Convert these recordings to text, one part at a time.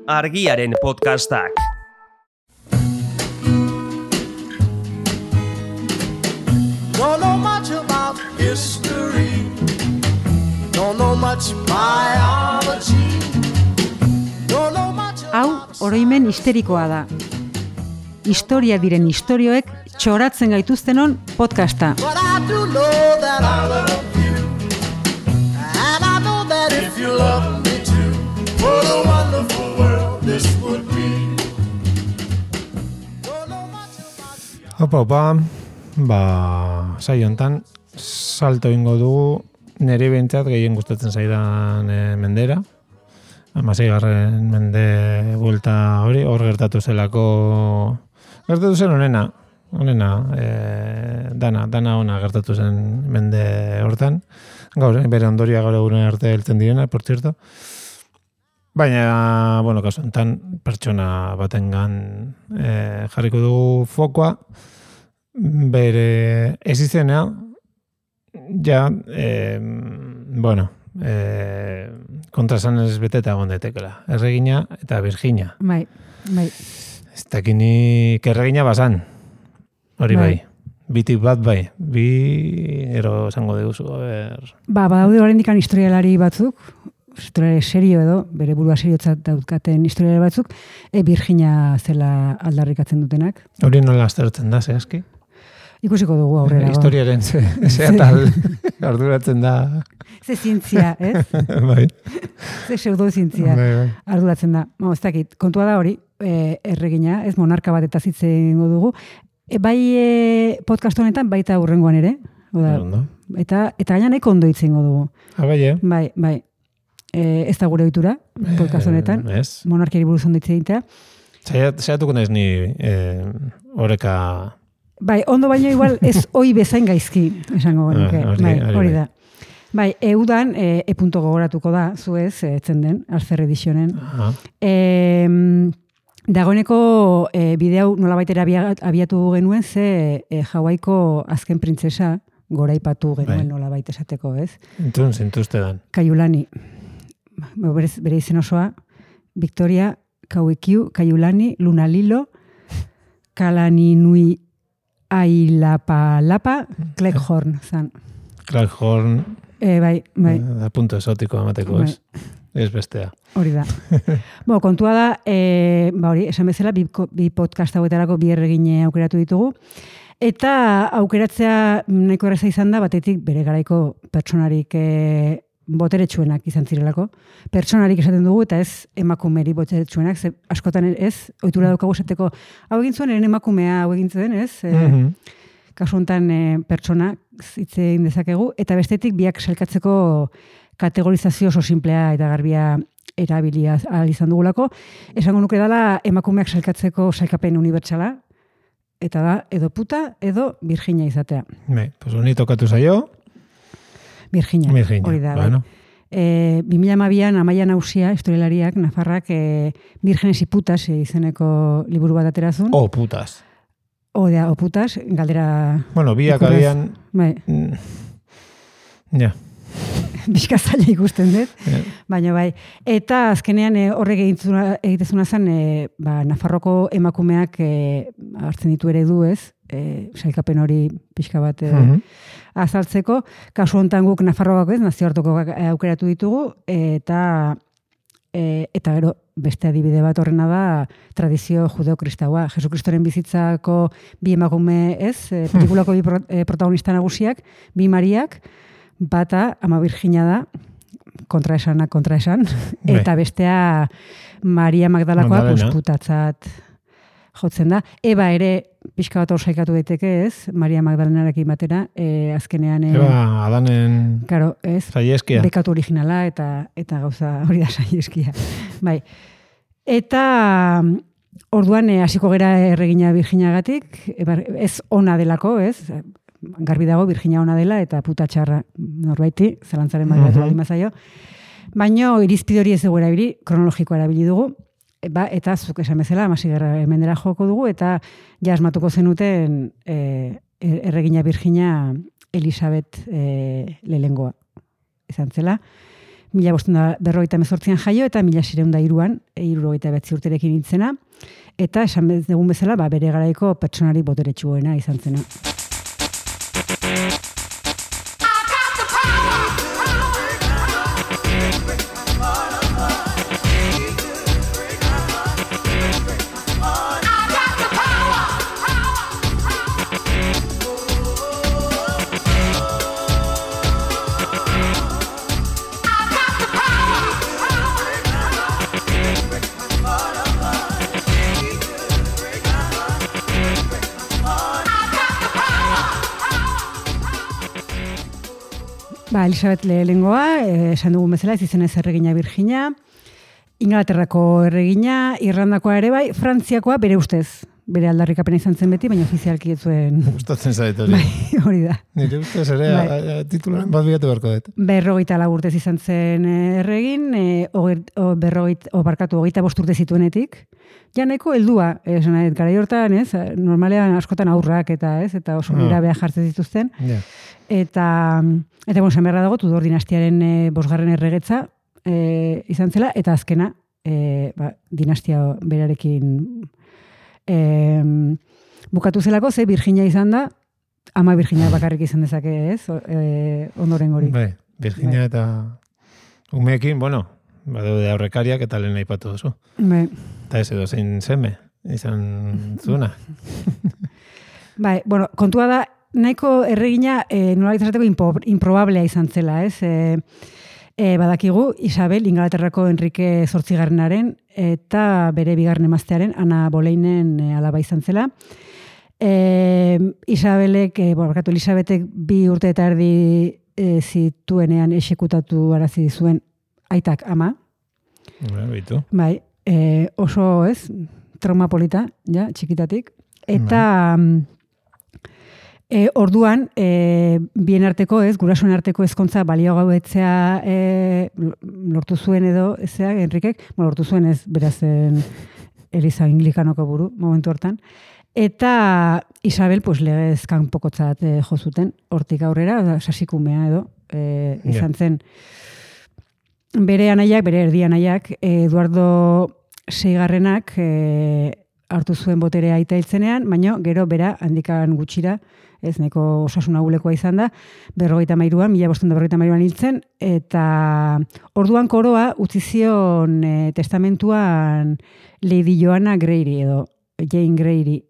Argiaren podcastak. Don't know much about history. Don't know much biology. Don't know much. Hau oroimen histerikoa da. Historia diren istorioek txoratzen gaituztenon podcasta. But I do know that I love you. And I know that if you love me too, what a wonderful world this would be. Don't know much about Opa, saio hontan salto ingo dugu nire behintzat gehien gustatzen zaidan mendera. 16. Mende buelta hori, hor gertatu zen honena, dana ona gertatu zen mende hortan. Gaur, bere ondoria gaur egunen arte heltzen direna, por cierto. Baina, bueno, kasu enten pertsona batengan jarriko dugu fokoa, bere ez izena, ja, kontrasanez beteta gondetekela. Erregina eta Virginia. Bai. Ez dakinik erregina bazan. Hori bai. Bitik bat bai. Bi, ero esango diguzu. Badaude oraindik historialari batzuk, historialari serio edo, bere burua seriotzat dauzkaten historialari batzuk, Virginia zela aldarrikatzen dutenak. Hori nola aztertzen da, zehazki? Ikusiko dugu aurrera. Historiaren ze atal arduratzen da. Ze zientzia, ez? Bai. Ze pseudozientzia arduratzen da. Ez dakit, kontua da hori, erregina, ez monarka bat eta zitzen dugu. Bai podcast honetan baita hurrengoan ere. Eta gaina nahiko ondo hitzen dugu. Bai. Ez da gure ohitura podcast honetan. Monarkiari buruz ondo hitz egitea. Zaiatuko naiz ni oreka. Bai, ondo baino igual ez hoi bezain gaizki, esango genuke. Hori da. Bai, eudan punto gogoratuko da, zuez, etzen den, Alfer Editionen. Dagoeneko bideo nolabaitera abiatu genuen, ze Hawaiko azken printzesa goraipatu genuen nolabait esateko, ez? Entzun, zintuzte dan. Kaiulani. Bere izen osoa, Victoria Kauekiu, Kaiulani, Lunalilo, Kalaninui Ailapa, Cleghorn, zan. Cleghorn. Bai. Da punto esotiko amateko, ez? Ez bestea. Hori da. Kontua da, hori, esan bezala, bi podcast hauetarako bi erregine aukeratu ditugu. Eta aukeratzea nahiko erraza izan da, batetik bere garaiko pertsonarik boteretsuenak izan zirelako. Pertsonarik esaten dugu, eta ez emakumeri boteretsuenak, ze askotan ez, ohitura daukagu esateko, hau egin zuen, emakumea hau egin zuen, ez? Kasu honetan pertsona hitz egin dezakegu, eta bestetik biak sailkatzeko kategorizazio oso simplea eta garbia erabilia izan dugulako. Esango nuke dela emakumeak sailkatzeko sailkapen unibertsala, eta da, edo puta, edo Virginia izatea. Pues honi tokatu zaio. Virginia. Hori da. Bueno. 2012an Amaia Nausia, historialariak, Nafarrak, Vírgenes y putas izeneko liburu bat aterazun. O putas. O putas, galdera... Bueno, biak agian... Bai. Ja. Bizkazaila ikusten dut, baina bai. Eta azkenean horrek egitezuna zen, Nafarroko emakumeak hartzen ditu ere du, ez? Sailkapen hori pixka bat azaltzeko. Kasu honetan guk Nafarroako ez, nazioarteko aukeratu ditugu, eta gero beste adibide bat horrena da tradizio judeo-kristaua. Jesukristoren bizitzako bi emakume ez, pelikulako bi protagonista nagusiak, bi Mariak, bata Ama Virginia da, kontraesan, eta bestea Maria Magdalakoa pustatzat jotzen da. Eba ere pixka bat hor saikatu daiteke, ez? Maria Magdalenarekin batera, azkenean... Eba, Adanen saieskia. Bekatu originala eta gauza hori da saieskia. Bai. Eta orduan hasiko gera erregina Virginiagatik, ez ona delako, ez? Garbi dago Virginia ona dela eta puta txarra norbaiti, zalantzaren maduratu baldin bazaio. Baina irizpide hori ez dugu erabili, kronologikoa erabili dugu, eta zuk esan bezala, 16. mendera joko dugu, eta ja asmatuko zenuten erregina Virginia Elisabet lehengoa izan zela. 1548an jaio eta 1603an 79 urterekin hiltzena. Eta esan dugun bezala, bere garaiko pertsonari boteretsuena izan zena. Elisabet lehengoa, esan dugun bezala, ez izenez erregina Virginia, Inglaterrako erregina, Irlandakoa ere bai, Frantziakoa bere ustez. Bere aldarrikapena izan zen beti, baina ofizialki ez zuen... Gustatzen zait hori. Bai, hori da. Nire ustez ere, titularen bat bilatu beharko dut. 54 urtez izan zen erregin, 25 urte zituenetik. Ja nahiko heldua, esan nahi, gara hortan, ez? Normalean askotan aurrak eta oso nerabea jartzen zituzten. Yeah. Eta bueno, esan beharra dago, Tudor dinastiaren 5. erregetza izan zela, eta azkena dinastia berarekin bukatu zelako, ze Virginia izan da, ama Virginia bakarrik izan dezake, ez? Ondoren gori. Bai, Virginia eta umeekin, bueno, badaude aurrekariak eta lehen aipatu duzu. Bai. Eta ez edo zein seme izan zuena. Bai, bueno, kontua da, nahiko erregina nola izateko improbablea izan zela, ez? Badakigu, Isabel, Inglaterrako Enrique Zortzigarrenaren eta bere 2. emaztearen, Ana Boleinen alaba izan zela. Elisabetek 2 urte eta erdi zituenean exekutatu arazi zuen aitak ama. Bai, oso ez, trauma polita, ja, txikitatik. Eta... orduan, bien arteko, gurasoen arteko ezkontza balio gauetzea lortu zuen edo, Enrikek, lortu zuen ez, berazen Eliza Anglikanoko buru, momentu hortan. Eta Isabel, legez kanpokotzat jo zuten, hortik aurrera, sasikumea edo, izan zen. Bere anaiak, bere erdi anaiak, Eduardo Seigarrenak hartu zuen boterea aita hiltzenean, baina gero bera handikan gutxira, ez neko osasun agulekoa izan da, 53an, 1553an hiltzen, eta orduan koroa utzi zion testamentuan Lady Joanna Grey edo Jane Grey.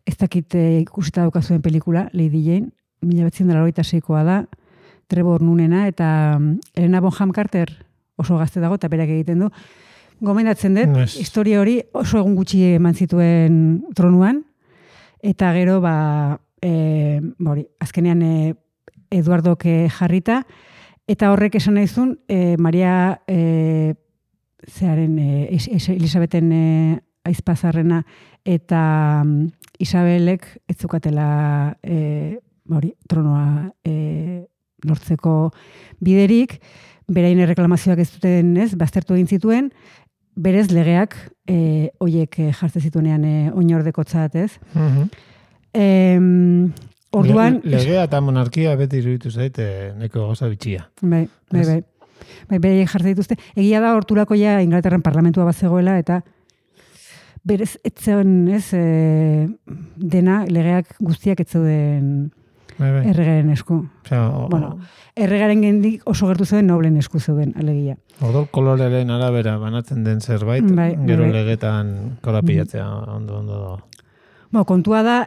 Ez dakit ikusita daukazuen pelikula, Lady Jane, 1986koa da, Trevor Noonena, eta Helena Bonham Carter oso gazte dago, eta berak egiten du. Gomendatzen dut, historia hori oso egun gutxi eman zituen tronuan, eta gero, azkenean Eduardok jarrita, eta horrek esan nahizun, Maria Elisabeten aizpazarrena eta Isabelek ez zukatela tronoa lortzeko biderik, berain erreklamazioak ez duten, baztertu egin zituen, berez legeak hoiek jartzen zituenean oinordekotzat, ez? Orduan... Legea eta monarkia beti iruditu zaite neko gauza bitxia. Bai. Beraiek jartzen dituzte. Egia da hortulako ja Inglaterran parlamentua bat zegoela, eta berez etzeon, dena legeak guztiak etzeuden erregaren esku. Erregaren gendik oso gertu zeuden noblen esku zeuden, alegia. Ordol koloreren arabera banatzen den zerbait, gero legetan korapilatzea ondo. Kontua da,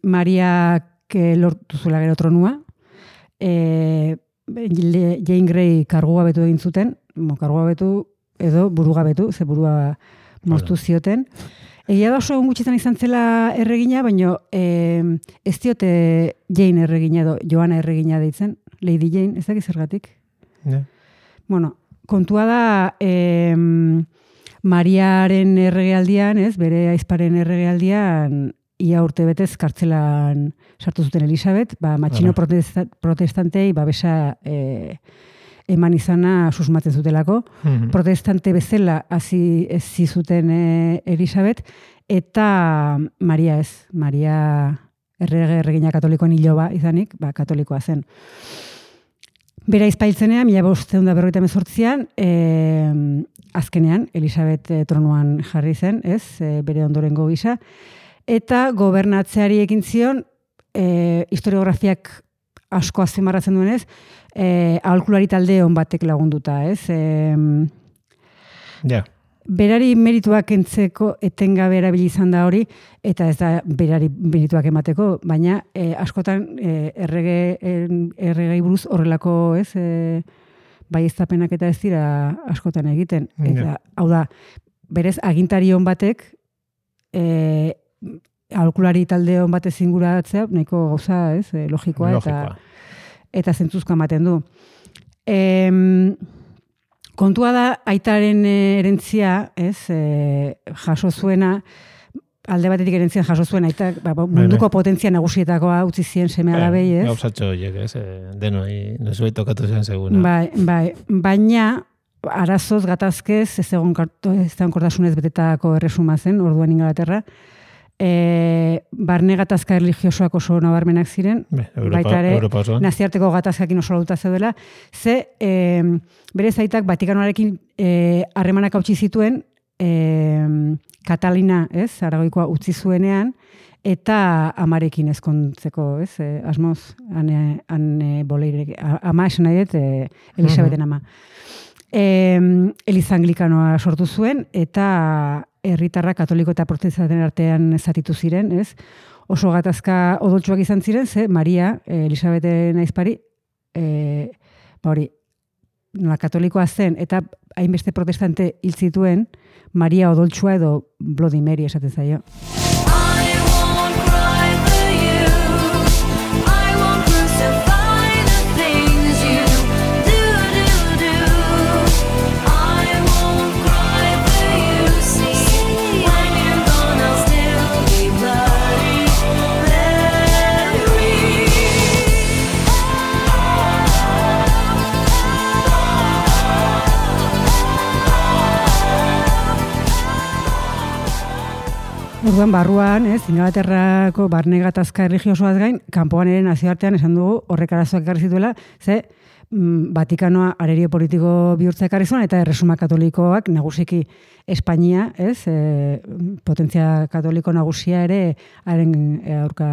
Mariak lortu zuela gero tronua, Jane Grey kargugabetu egin zuten, kargugabetu edo burugabetu, ze burua moztu zioten. Egia da oso gutxitan izan zela erregina, baina ez diote Jane erregina edo Joana erregina deitzen, Lady Jane, ez dakiz zergatik. Bueno, kontua da Mariaren erregealdian, bere aizparen erregealdian, ia urte betez kartzelan sartu zuten Elisabet, matxino protestantei babesa eman izana susmatzen zutelako. Protestante bezala hasi zuten Elisabet, eta Maria erregina katolikoen iloba izanik, katolikoa zen. Bera izpailtzenean, 1548an, azkenean, Elisabet tronuan jarri zen, ez, bere ondorengo gisa, eta gobernatzeari ekin zion, historiografiak asko azpimarratzen duenez, aholkulari talde on batek lagunduta, ez? Berari merituak entzeko etengabe erabili izan da hori, eta ez da berari merituak emateko, baina askotan erregei buruz horrelako, ez, baieztapenak eta ez dira askotan egiten. Eta, hau da, berez agintari on batek aholkulari talde on batez inguratzea, nahiko gauza, ez, logikoa. Eta zentzuzko ematen du. Kontua da, aitaren erentzia, ez, jaso zuena, alde batetik erentzia jaso zuen, aita munduko potentzia nagusietakoa utzi zien seme alabei, ez? Gauzatxo horiek, ez, denoi, nesuei tokatu zen seguna. Baina, arazoz gatazkez, ez egon kortasunez betetako erresuma zen, orduan Ingalaterra, barne gatazka religiosoak oso nabarmenak ziren, baita ere naziarteko gatazkakin oso lauta zeudela, ze bere zaitak Vatikanoarekin harremanak hautsi zituen Katalina, ez, Aragoikoa utzi zuenean, eta amarekin ezkontzeko, ez, asmoz, boleirek, ama esan nahi dut, Elisabeten ama. Eliza Anglikanoa sortu zuen, eta herritarra katoliko eta protestanten artean zatitu ziren, ez? Oso gatazka odoltsuak izan ziren, ze Maria, Elisabeten aizpari, hori, katolikoa zen, eta hainbeste protestante hil zituen, Maria odoltsua edo Bloody Mary esaten zaio. Orduan, barruan, ez, Ingalaterrako barne gatazka erligiosoaz gain, kanpoan ere nazioartean esan dugu horrek arazoak ekarri zituela, ze Vatikanoa arerio politiko bihurtza ekarri zuen, eta erresuma katolikoak nagusiki Espainia, ez, potentzia katoliko nagusia ere, haren aurka,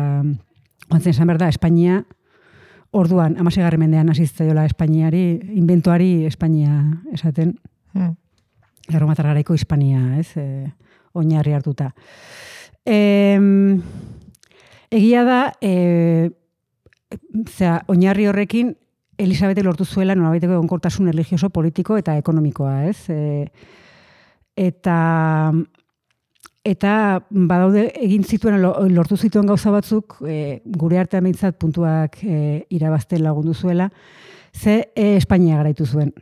ontzen esan behar da, Espainia, orduan, 16. mendean hasi zitzaiola Espainiari, inventuari Espainia esaten, Erromatar garaiko Hispania, ez, oinarri hartuta. Egia da, oinarri horrekin Elisabete lortu zuela nolabaiteko egonkortasun religioso, politiko eta ekonomikoa, ez? Eta badaude egin zituen, lortu zituen gauza batzuk, gure artean behintzat puntuak irabazten lagundu zuela, ze Espainia garaitu zuen.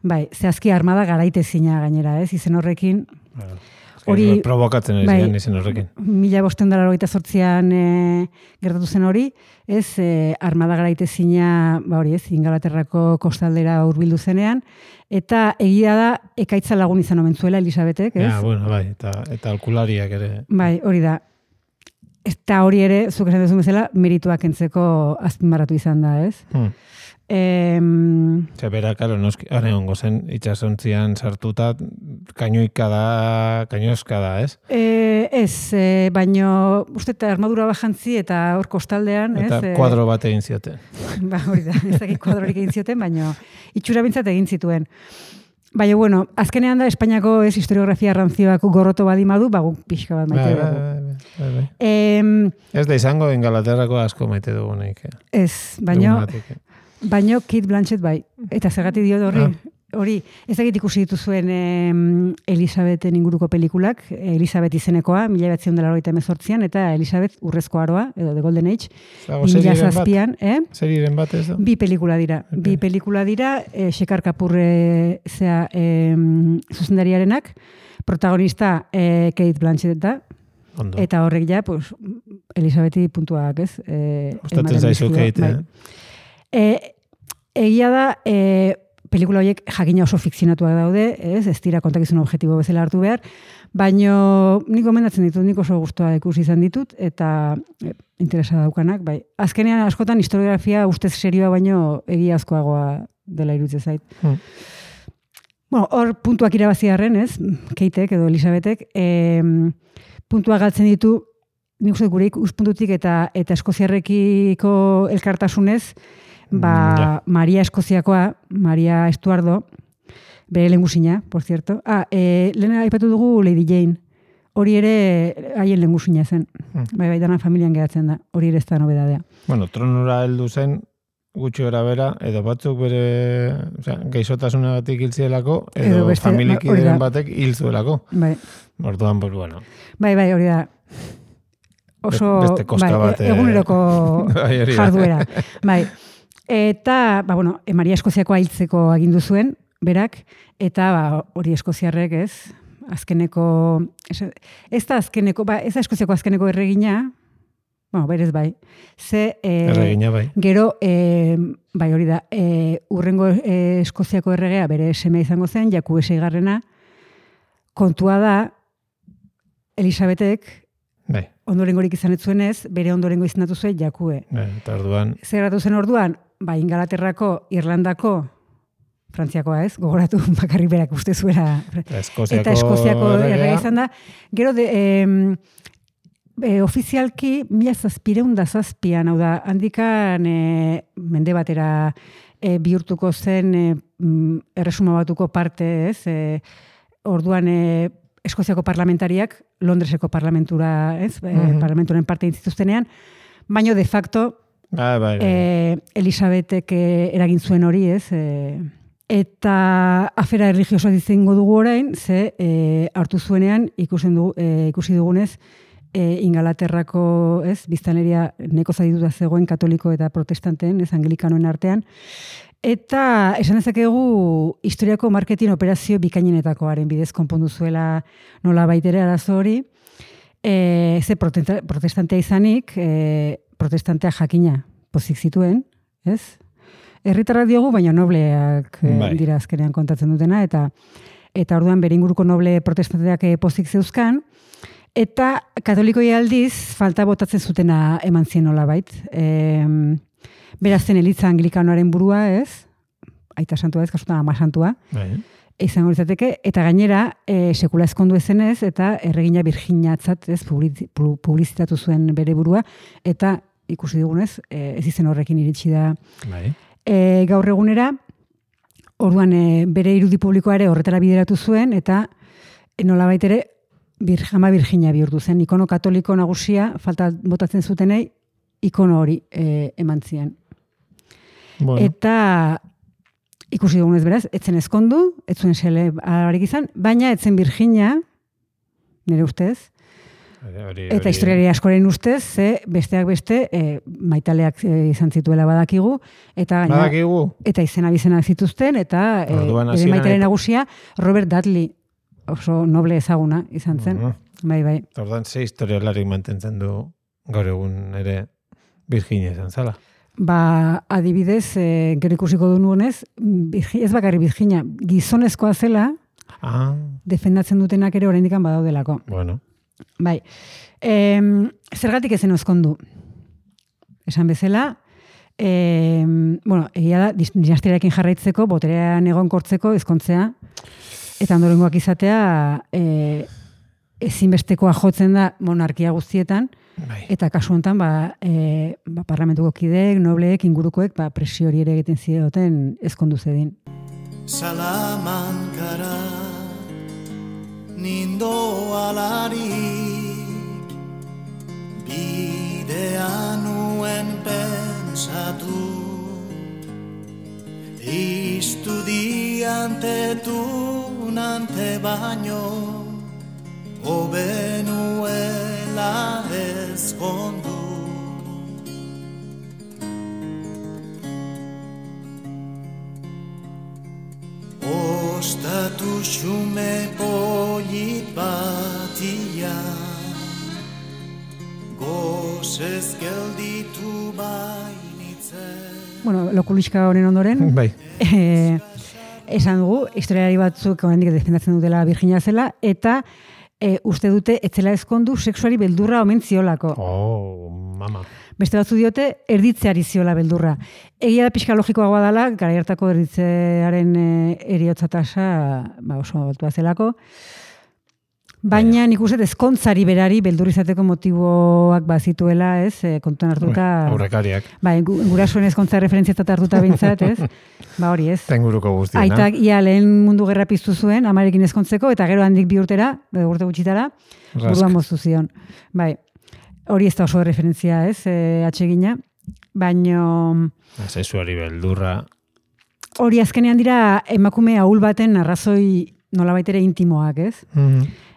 Bai, zehazki armada garaitezina gainera, ez? Izen horrekin, hori provokatzen ez izen horrekin. 1588an gertatu zen hori, ez, armada garaitezina, hori ez, Ingalaterrako kostaldera hurbildu zenean, eta egia da ekaitza lagun izan omen zuela Elisabetek, ez? Bai, eta alkulariak ere. Bai, hori da. Eta hori ere, zuk esan duzun bezala, merituak entzeko azpimarratu izan da, ez? Bera, karo, haren ongo zen, itxasontzian sartuta, kainoizka da, ez? Baino, uste eta armadura bajantzi eta hor kostaldean, ez? Eta kuadro bat egin zioten. Hori da, ez dakit kuadrorik egin zioten, baino, itxura bintzat egin zituen. Baina, bueno, azkenean da, Espainiako historiografia rantzioak gorroto badimadu, guk pixka bat maite dugu. Ez da izango Ingalaterrako asko maite dugunik. Baina Kate Blanchett bai, eta zergatik diot hori, ez dakit ikusi dituzuen Elisabeten inguruko pelikulak, Elisabet izenekoa, 1988an, eta Elisabet urrezko aroa, edo The Golden Age, 2007an. Seriren bat ez da? Bi pelikula dira, Shekar Kapoor zuzendariarenak, protagonista Kate Blanchett da, eta horrek ja, Elisabeti puntuak, ez? Gustatzen zaizu Kate, egia da, pelikula horiek jakina oso fikzionatuak daude, ez dira kontakizun objektibo bezala hartu behar, baino nik gomendatzen ditut, nik oso gustoa ikusi izan ditut, eta interesa daukanak, bai. Azkenean askotan historiografia ustez serioa baino egiazkoagoa dela iruditzen zait. Bueno, hor puntuak irabazi arren, ez? Keitek edo Elisabetek, puntua galtzen ditu, nik uste gure ikuspuntutik eta eskoziarrekiko elkartasunez, Maria Eskoziakoa, Maria Estuardo, bere lehengusina, por cierto. Lehen aipatu dugu Lady Jane. Hori ere haien lehengusina zen. Bai, dana familian geratzen da. Hori ere ez da nobedadea. Bueno, tronura heldu zen, gutxi gara bera, edo batzuk bere gaixotasunagatik hil zielako, edo familikideren batek hil zuelako. Bai. Orduan, pues bueno. Bai, hori da. Oso, beste kosta bat. Eguneroko jarduera. Bai. Eta, Maria Eskoziakoa hiltzeko agindu zuen, berak, eta hori eskoziarrek, ez? Azkeneko, ez da Eskoziako azkeneko erregina, berez bai. Erregina bai. Gero, bai hori da, urrengo Eskoziako erregea bere semea izango zen, Jakube seigarrena, kontua da, Elisabetek, bai. Ondorengorik izan ez zuenez, bere ondorengo izendatu zuen Jakube. Eta orduan. Zerratu zen orduan, Ingalaterrako, Irlandako, Frantziakoa ez, gogoratu bakarrik berak uste zuela. Eta Eskoziako errega izan da. Gero, ofizialki, 1707an, hau da, handikan mende batera bihurtuko zen erresuma batuko parte, ez? Orduan, Eskoziako parlamentariak, Londreseko parlamentura, ez? Parlamenturen parte intzituztenean, baino de facto, Elisabetek eragin zuen hori, ez? Eta afera erligiosoa izango dugu orain, ze hartu zuenean ikusi dugunez Ingalaterrako, ez, biztanleria neko zadituta zegoen katoliko eta protestanteen, ez, anglikanoen artean, eta esan dezakegu historiako marketing operazio bikainenetakoaren bidez konpondu zuela nola baitere arazo hori, ze protestantea izanik, protestantea jakina pozik zituen, ez? Herritarrak diogu, baina nobleak dira azkenean kontatzen dutena, eta orduan bere inguruko noble protestanteak pozik zeuzkan, eta katolikoi aldiz falta botatzen zutena eman zien nolabait. Beraz zen elitza anglikanoaren burua, ez? Aita santua ez, kasutan ama santua. Izango litzateke, eta gainera sekula ezkondu ezenez, eta erregina Virginiatzat, ez, publizitatu zuen bere burua, eta ikusi dugunez, ez izen horrekin iritsi da gaur egunera, orduan bere irudi publikoa ere horretara bideratu zuen, eta nolabait ere ama Virginia bihurtu zen, ikono katoliko nagusia, falta botatzen zutenei, ikono hori eman zien. Bueno. Eta ikusi dugunez beraz, etzen ezkondu, etzuen sele alabarik izan, baina etzen Virginia, nire ustez, eta historiari askoren ustez, besteak beste, maitaleak izan zituela badakigu, eta izena bizenak zituzten, eta bere maitale nagusia, Robert Dudley, oso noble ezaguna izan zen. Bai. Ordan ze historialarik mantentzen du gaur egun ere Virginia izan zala? Adibidez, gero ikusiko du nuenez, ez bakarri Virginia, gizonezkoa zela, defendatzen dutenak ere oraindik badaudelako. Bueno. Bai. Zergatik ezen ezkondu? Esan bezala, egia da, dinastiarekin jarraitzeko, boterean egonkortzeko, ezkontzea, eta ondorengoak izatea ezinbestekoa jotzen da monarkia guztietan, eta kasu honetan parlamentuko kideek, nobleek, ingurukoek presio hori ere egiten zioten ezkondu zedin. Salamankara nindo alarik bidean nuen pensatu estudiante tunante baino obenuela ezkondu ostatu xume polit batia gozez gelditu bainitzen. Bueno, lokuliska honen ondoren. Bai. esan dugu, historialari batzuk oraindik defendatzen dutela Virginia zela, eta uste dute etzela ezkondu sexuari beldurra omen ziolako. Mama. Beste batzu diote, erditzeari ziola beldurra. Egia da pixka logikoagoa dela, gara hartako erditzearen eriotza tasa oso altua zelako. Baina nik uste ezkontzari berari beldur izateko motiboak bazituela, ez? Kontuan hartuta... Aurrekariak. Gurasoen ezkontza referentziatat hartuta bintzat, ez? Hori ez. Tenguruko guztiena. Aitak, lehen mundu gerra piztu zuen, amarekin ezkontzeko, eta gero handik 2 urtera, urte gutxitara, buruan moztu zion. Hori ez da oso referentzia, ez? Atsegina. Baino... Sexuari beldurra... Hori azkenean dira emakume ahul baten arrazoi nolabait ere intimoak, ez?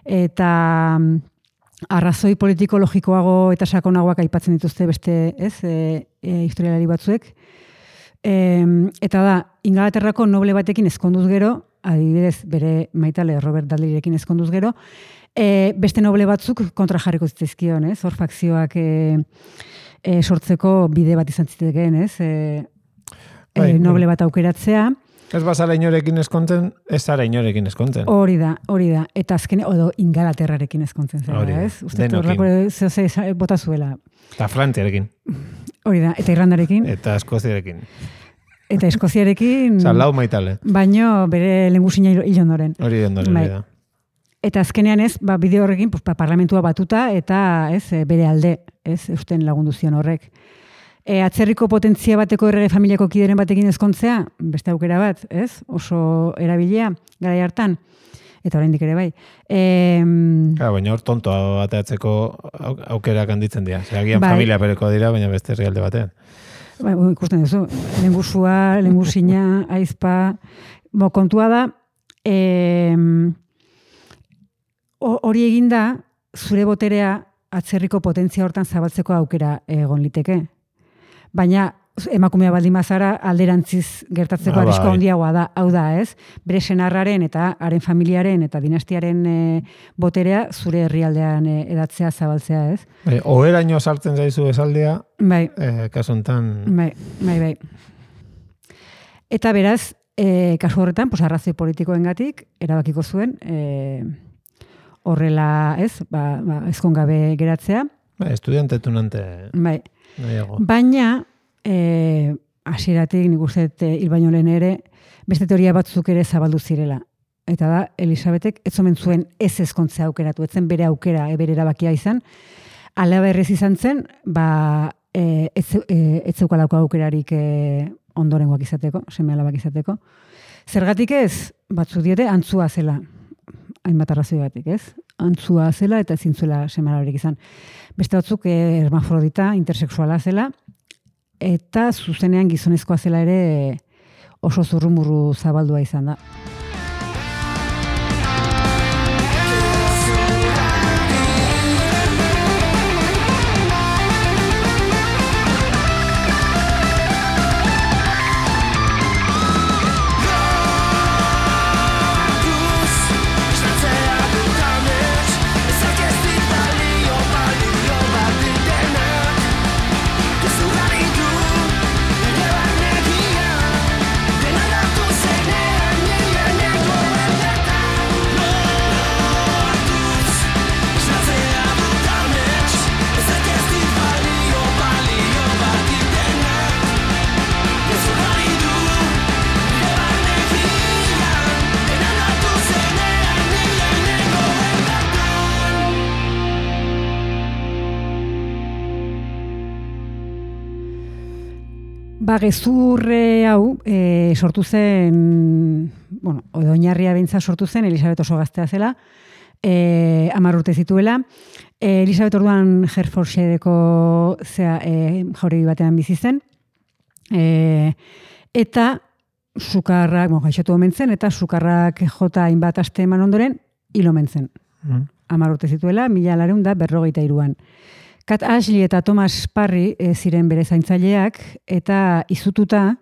Eta arrazoi politiko-logikoago eta sakonagoak aipatzen dituzte beste, ez, historialari batzuek. Eta da, Ingalaterrako noble batekin ezkonduz gero, adibidez bere maitale Robert Dudleyrekin ezkonduz gero, beste noble batzuk kontra jarriko zitzaizkion, ez? Hor fakzioak sortzeko bide bat izan zitekeen, ez? Noble bat aukeratzea. Ez bazala inorekin eskontzen, ez zara inorekin eskontzen. Hori da. Eta azken, Ingalaterrarekin eskontzen zera, ez? Uste horrako zehose bota zuela. Eta Frantziarekin. Hori da, eta Irlandarekin. Eta Eskoziarekin. Eta Eskoziarekin. Lau maitale. Baino bere lehengusina hil ondoren. Hori ondoren, da. Eta azkenean ez, bide horrekin, parlamentua batuta, eta ez, bere alde, ez, eusten lagundu zion horrek. Atzerriko potentzia bateko errege familiako kideren batekin ezkontzea, beste aukera bat, ez? Oso erabilia, garai hartan, eta oraindik ere bai. Baina hor tontoa bateatzeko aukerak handitzen dira. Agian familia pereko dira, baina beste herrialde batean. Ikusten duzu, lehengusina, aizpa, kontua da, hori eginda, zure boterea atzerriko potentzia hortan zabaltzeko aukera egon liteke. Baina emakumea baldin bazara alderantziz gertatzeko arrisko handiagoa da, hau da, ez? Bere senarraren eta haren familiaren eta dinastiaren boterea zure herrialdean edatzea, zabaltzea, ez? Oheraino sartzen zaizu esaldea, kasu honetan... Bai. Eta beraz, kasu horretan, arrazoi politikoengatik erabakiko zuen horrela, ez? Ezkongabe geratzea. Estudiantetunante... Bai. Baina, hasieratik nik uste hil baino lehen ere, beste teoria batzuk ere zabaldu zirela. Eta da, Elisabetek ez omen zuen ez ezkontzea aukeratu, etzen bere aukera, bere erabakia izan. Ala berriz izan zen, ez zeukalako aukerarik ondorengoak izateko, seme alabak izateko. Zergatik ez, batzu diote, antzua zela. Hainbat arrazoi batik, ez? Antzua zela eta ezin zuela seme alabarik izan. Beste batzuk hermafrodita, intersexuala zela, eta zuzenean gizonezkoa zela ere oso zurrumurru zabaldua izan da. Gezurre hau sortu zen, oinarria beintza sortu zen, Elisabet oso gaztea zela, 10 urte zituela. Elisabet orduan Hertfordshireko jauregi batean bizi zen, eta sukarrak, gaixotu omen zen, eta sukarrak jota hainbat aste eman ondoren, hil omen zen. 10 urte zituela, 1943an. Kat Ashley eta Thomas Parry ziren bere zaintzaileak, eta izututa,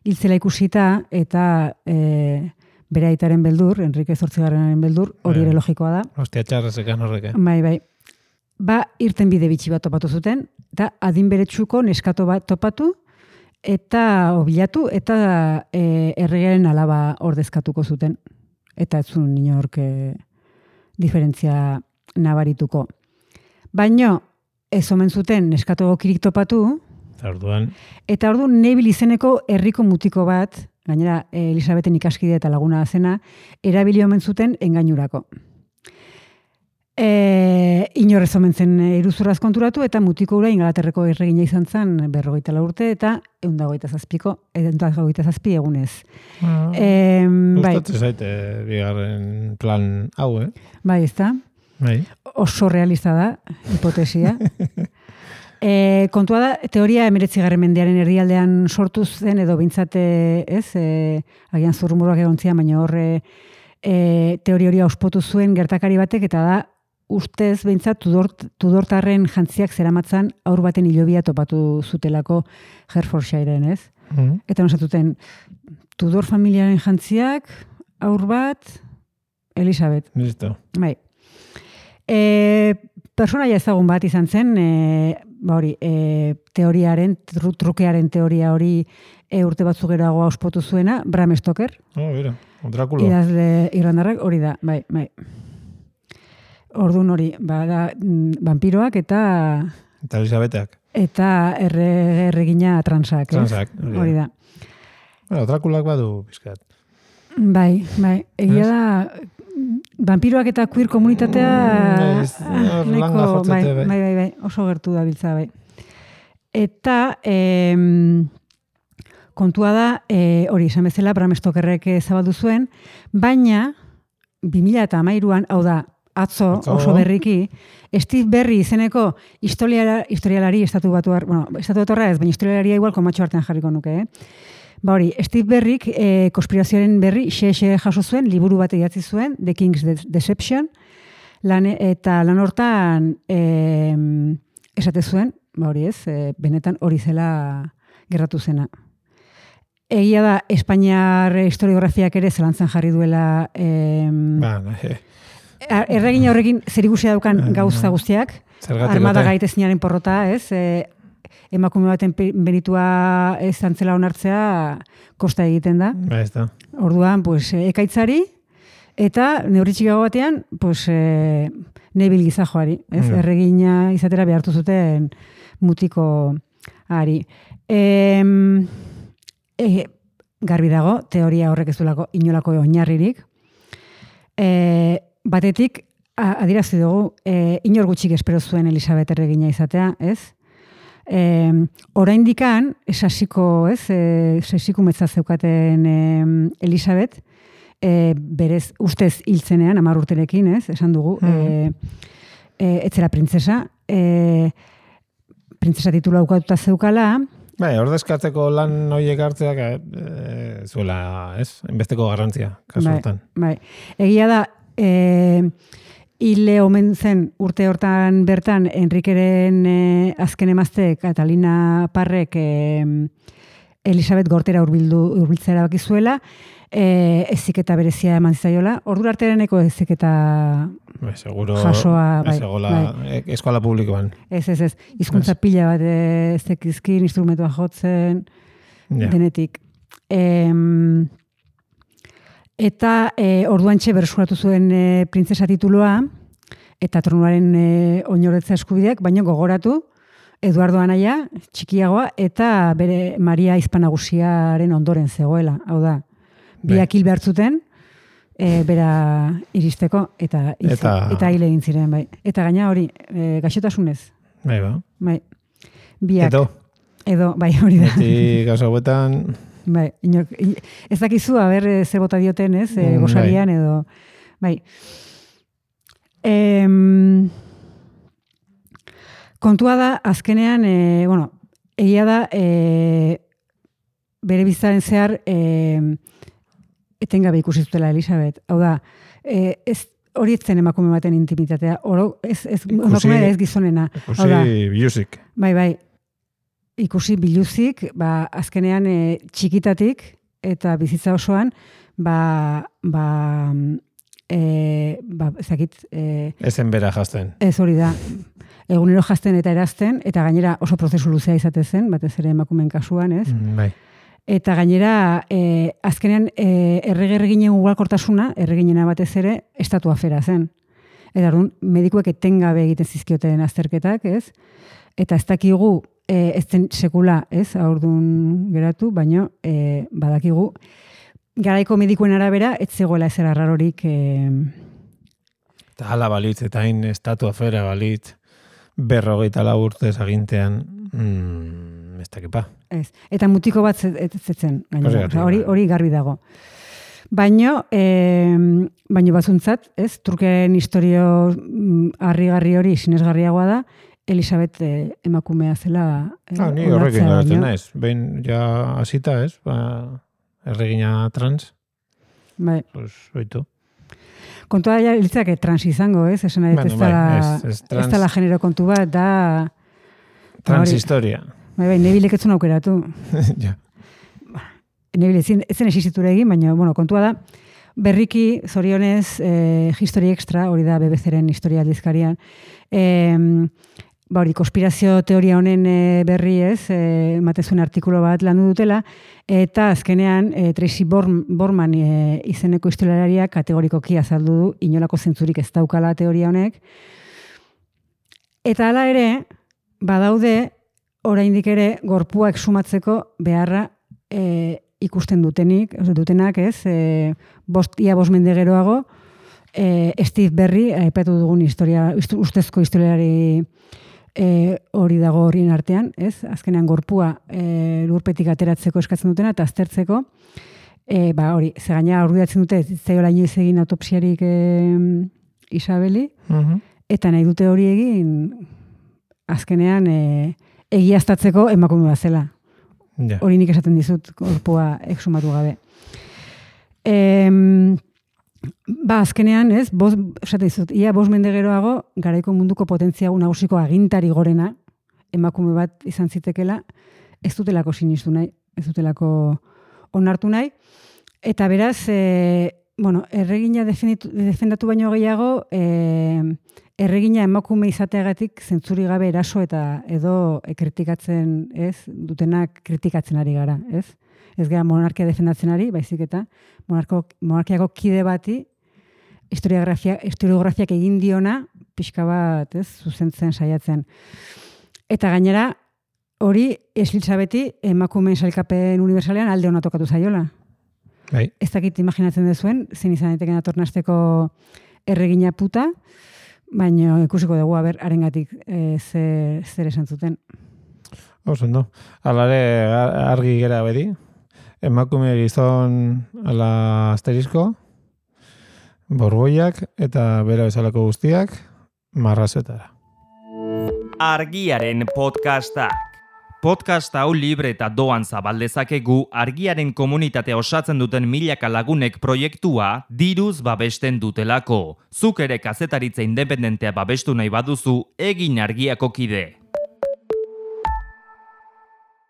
hiltzela ikusita, eta bere aitaren beldur, Enrique Zortzigarrenaren beldur, hori ere logikoa da. Hostia, txarrezekan horreke. Bai. Irten bide bitxi bat topatu zuten, eta adin beretsuko neskato bat topatu, eta bilatu eta erregearen alaba ordezkatuko zuten. Eta ez zuen inork diferentzia nabarituko. Baino, ez omen zuten neskatu gokirik topatu, eta orduan Neville izeneko herriko mutiko bat, gainera Elisabeten ikaskide eta laguna zena, erabili omen zuten engainurako. Inorrez omen zen iruzurraz konturatu, eta mutiko ura Ingalaterreko erregina izan zen 44 urte, eta 127 egunez. Gustatzen zaite bigarren plan hau, Bai, ez da? Bai. Oso realista da, hipotesia. Kontua da, teoria 19. mendearen herrialdean sortu zen, edo bintzate, agian zurrumuruak egontzia, baina horre teoria hori auspotu zuen gertakari batek, eta da, ustez behintzat Tudortarren jantziak zeramatzan aur baten hilobia topatu zutelako Hertfordshireen, ez? Eta nosatuten, Tudor familiaren jantziak, aur bat, Elisabet. Listo. Bai. Personaia ezagun bat izan zen, teoriaren, trukearen teoria hori urte batzuk geroago auspotu zuena, Bram Stoker. Bera, Drácula. Idazle irlandarrak, hori da, bai. Orduan hori, da vampiroak eta Elisabeteak. Eta erregina transak, hori da. Bueno, Dráculak badu pizkat. Bai, egia da, vampiroak eta queer komunitatea bai, oso gertu da biltza, bai. Eta kontua da, hori, esan bezala, Bram Stokerrek zabaldu zuen, baina 2013an, hau da, atzo oso berriki, Steve Berry izeneko historialari estatu batuarra ez, baina historialaria igual komatxo artean jarriko nuke, hori, Steve Berryk konspirazioaren berri xe jaso zuen, liburu bat idatzi zuen, The King's Deception, eta lan hortan esate zuen, hori ez, benetan hori zela gerratu zena. Egia da, Espainiar historiografiak ere zelantzan jarri duela erregina horrekin zerikusia daukan gauza guztiak, armada gaitezinaren porrota, ez, emakume baten benitua ez antzela onartzea kosta egiten da. Orduan, ekaitzari, eta neurritxikago batean, Neville gizajoari, ez, erregina izatera behartu zuten mutiko ari. Garbi dago, teoria horrek ez duelako inolako oinarririk. Batetik, adirazi dugu, inor gutxik espero zuen Elisabet erregina izatea, ez? Oraindikan, sasiko metza zeukaten Elisabet, berez ustez hiltzenean, 10 urterekin, ez? Esan dugu, etzera printzesa, printzesa titula aukatuta zeukala. Bai, ordezkatzeko lan horiek hartzeak zuela, ez? Enbesteko garrantzia, kasu hortan. Bai, egia da, hile omen zen urte hortan bertan Enrikeren azken emazte Catalina Parrek Elisabet gortera hurbiltzera bakizuela, eziketa berezia eman zaiola. Ordura artereneko eziketa jasoa, eskola publikoan. Ez. Hizkuntza pila bat ezekizkin, instrumentua jotzen, denetik. Eta orduantxe berreskuratu zuen printzesa titulua eta tronuaren oinoretza eskubideak, baina gogoratu Eduardo anaia, txikiagoa, eta bere Maria Izpanagusiaren ondoren zegoela. Hau da, biak hil behartzuten, bera iristeko, eta hil egin ziren, bai. Eta gaina hori, gaixotasunez. Bai. Biak. Edo, bai, hori da. Beti gauza huetan... Bai, ez dakizu, ze bota dioten, ez, gozarian, edo, bai. Kontua da, azkenean, egia da, bere bizaren zehar, etengabe ikusi zutela Elisabet. Hau da, hori etzen emakume baten intimitatea, emakume ez gizonena. Ikusi biluzik. Bai. Ikusi biluzik, azkenean txikitatik eta bizitza osoan, ezakit... Ezen bera jazten. Ez hori da. Egunero jazten eta erazten, eta gainera oso prozesu luzea izate zen, batez ere emakumeen kasuan, ez? Bai. Eta gainera, azkenean, erreginen ugalkortasuna, erreginena batez ere, estatu afera zen. Eta orduan, medikuek etengabe egiten zizkioten azterketak, ez? Eta ez dakigu, ez zen sekula, ez? Orduan geratu, baina badakigu, garaiko medikuen arabera, ez zegoela ezer arrarorik... Eta hala balitz, eta hain estatu afera balitz, 54 urtez agintean, ez dakipa. Ez. Eta mutiko bat zetzen, gainera. Hori garbi dago. Baina batzuntzat, ez, Turkiaren historio harrigarri hori sinesgarriagoa da, Elisabet emakumea zela. Ni horrekin garatzen naiz. Behin ja hasita, ez, erregina trans. Bai. Pues, oitu. Kontua da, litzak trans izango, ez? Esan ez dela genero kontu bat, da... Transhistoria. Bai, nebilek etzun aukeratu. Ja. Nebile, ez zen esizitura egin, baina, kontua da, berriki, zorionez, History Extra, hori da BBC-ren historia aldizkarian, konspirazio teoria honen berri ez, matezuen artikulo bat landu dutela, eta azkenean Tracy Borman izeneko historialariak kategorikoki azaldu du, inolako zentzurik ez daukala teoria honek. Eta hala ere, badaude, oraindik ere, gorpua exhumatzeko beharra ikusten dutenak, ez, ia 5 mende geroago, Steve Berry, aipatu dugun ustezko historialari hori dago horien artean, ez? Azkenean gorpua lurpetik ateratzeko eskatzen dutena eta aztertzeko, hori, ze gaina argudiatzen dute, zaiola inoiz egin autopsiarik Isabeli, eta nahi dute hori egin azkenean egiaztatzeko emakume bat zela. Ja. Hori nik esaten dizut gorpua exhumatu gabe. Azkenean, ez, esate dizut, ia 5 mende geroago, garaiko munduko potentzia nagusiko agintari gorena, emakume bat izan zitekela, ez dutelako sinistu nahi, ez dutelako onartu nahi, eta beraz, erregina defendatu baino gehiago, erregina emakume izateagatik zentzuri gabe eraso eta edo kritikatzen, ez, dutenak kritikatzen ari gara, ez? Ez gara monarkia defendatzen ari, baizik eta monarkiako kide bati historiografiak egin diona pixka bat, ez, zuzentzen saiatzen. Eta gainera, hori Elisabeti emakumeen sailkapen universalean alde ona tokatu zaiola. Bai. Ez dakit imaginatzen dezuen, zein izan daiteken atornazteko erregina puta, baina ikusiko dugu, harengatik zer esan zuten. Ondo. Alare argi gera bedi. Emakume gizon ala asterisko, borboiak eta bera bezalako guztiak marrazetara. Argiaren podcastak. Podcast hau libre eta doan zabaldezakegu Argiaren komunitatea osatzen duten milaka lagunek proiektua diruz babesten dutelako. Zuk ere kazetaritza independentea babestu nahi baduzu, egin Argiako kide.